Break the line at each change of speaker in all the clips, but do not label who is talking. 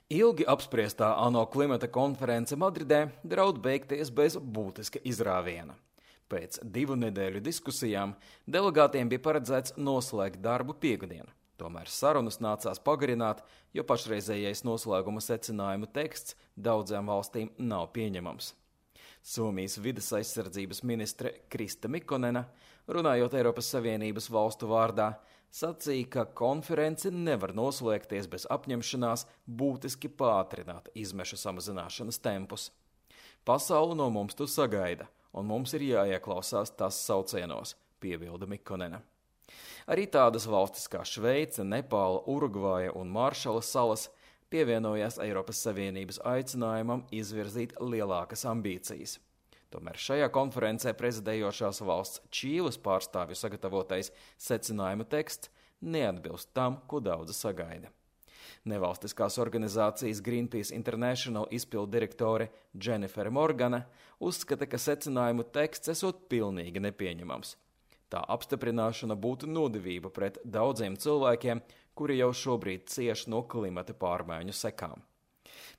Ilgi apspriestā ANO klimata konference Madridē draud beigties bez būtiska izrāviena. Pēc 2 nedēļu diskusijām delegātiem bija paredzēts noslēgt darbu piektdien. Tomēr sarunas nācās pagarināt, jo pašreizējais noslēguma secinājumu teksts daudzām valstīm nav pieņemams. Somijas vides aizsardzības ministre Krista Mikkonena, runājot Eiropas Savienības valstu vārdā, sacīja, ka konference nevar noslēgties bez apņemšanās būtiski pātrināt izmešu samazināšanas tempus. Pasaule no mums to sagaida, un mums ir jāieklausās tas saucienos, piebilda Mikkonena. Arī tādas valstis kā Šveice, Nepāla, Urugvaja un Maršala salas pievienojās Eiropas Savienības aicinājumam izvirzīt lielākas ambīcijas. Tomēr šajā konferencē prezidējošās valsts Čīles pārstāvju sagatavotais secinājuma teksts neatbilst tam, ko daudzi sagaida. Nevalstiskās organizācijas Greenpeace International izpildu direktore Jennifer Morgana uzskata, ka secinājumu teksts esot pilnīgi nepieņemams. Tā apstiprināšana būtu nodevība pret daudziem cilvēkiem, kuri jau šobrīd cieš no klimata pārmaiņu sekām.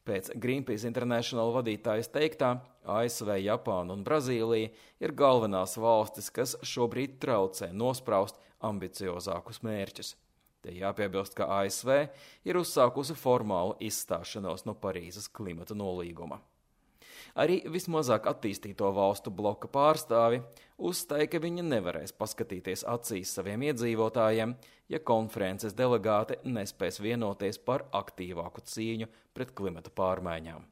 Pēc Greenpeace International vadītājas teiktā, ASV, Japāna un Brazīlija ir galvenās valstis, kas šobrīd traucē nospraust ambiciozākus mērķus. Te jāpiebilst, ka ASV ir uzsākusi formālu izstāšanos no Parīzes klimata nolīguma. Arī vismazāk attīstīto valstu bloka pārstāvi uzstāja, ka viņi nevarēs paskatīties acīs saviem iedzīvotājiem, ja konferences delegāti nespēs vienoties par aktīvāku cīņu pret klimata pārmaiņām.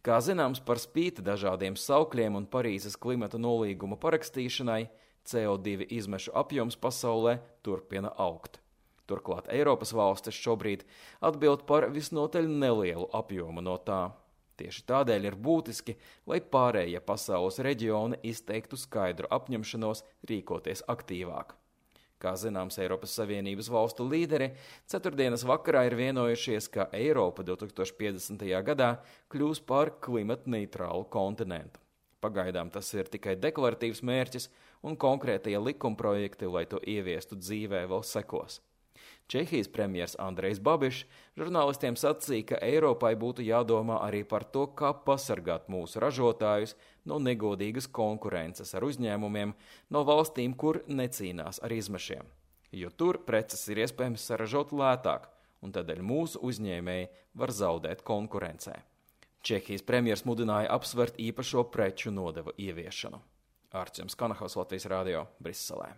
Kā zināms, par spīti dažādiem saukļiem un Parīzes klimata nolīguma parakstīšanai, CO2 izmešu apjoms pasaulē turpina augt. Turklāt Eiropas valstis šobrīd atbild par visnotaļ nelielu apjomu no tā. Tieši tādēļ ir būtiski, lai pārējie pasaules reģioni izteiktu skaidru apņemšanos rīkoties aktīvāk. Kā zināms, Eiropas Savienības valstu līderi ceturtdienas vakarā ir vienojušies, ka Eiropa 2050. gadā kļūs par klimatneitrālu kontinentu. Pagaidām tas ir tikai deklaratīvs mērķis, un konkrētie likumprojekti, lai to ieviestu dzīvē, vēl sekos. Čehijas premjers Andrejs Babišs žurnālistiem sacīja, ka Eiropai būtu jādomā arī par to, kā pasargāt mūsu ražotājus no negodīgas konkurences ar uzņēmumiem no valstīm, kur necīnās ar izmešiem. Jo tur preces ir iespējams saražot lētāk, un tādēļ mūsu uzņēmēji var zaudēt konkurencē. Čehijas premjers mudināja apsvert īpašo preču nodevu ieviešanu. Ārķis Kanahaus, Latvijas radio, Briselē.